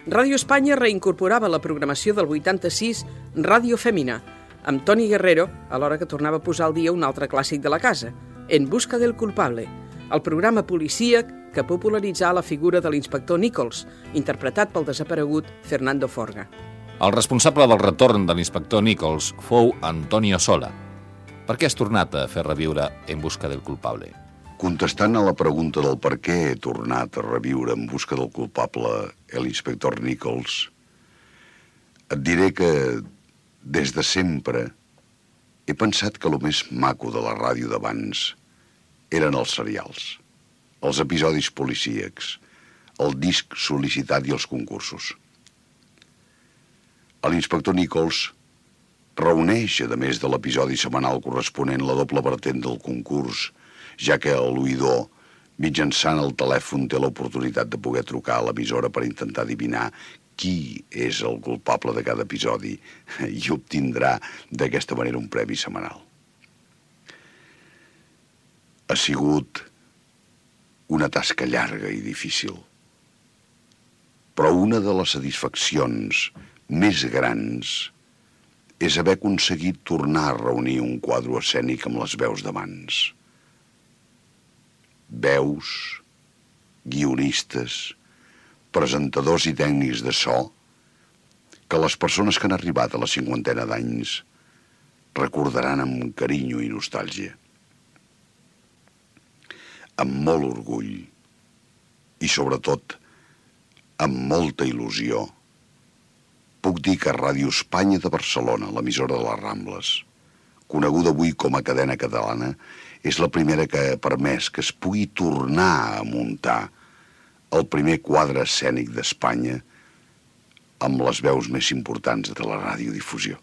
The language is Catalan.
Ràdio Espanya reincorporava la programació del 86 Ràdio Femina, amb Toni Guerrero, alhora que tornava a posar al dia un altre clàssic de la casa, En busca del culpable, el programa policíac que popularitzà la figura de l'inspector Nichols, interpretat pel desaparegut Fernando Forga. El responsable del retorn de l'inspector Nichols fou Antonio Sola. Per què has tornat a fer reviure En busca del culpable? Contestant a la pregunta del per què he tornat a reviure En busca del culpable l'inspector Nichols, et diré que des de sempre he pensat que el més maco de la ràdio d'abans eren els serials, els episodis policíacs, el disc sol·licitat i els concursos. L'inspector Nichols reuneix, a més de l'episodi setmanal corresponent, la doble vertent del concurs, ja que l'oïdor, mitjançant el telèfon, té l'oportunitat de poder trucar a l'emissora per intentar adivinar qui és el culpable de cada episodi i obtindrà d'aquesta manera un premi setmanal. Ha sigut una tasca llarga i difícil, però una de les satisfaccions més grans és haver aconseguit tornar a reunir un quadre escènic amb les veus d'abans. Veus, guionistes, presentadors i tècnics de so que les persones que han arribat a la 50ena d'anys recordaran amb carinyo i nostàlgia. Amb molt orgull i, sobretot, amb molta il·lusió, puc dir que Ràdio Espanya de Barcelona, l'emissora de les Rambles, coneguda avui com a cadena catalana, és la primera que ha permès que es pugui tornar a muntar el primer quadre escènic d'Espanya amb les veus més importants de la radiodifusió.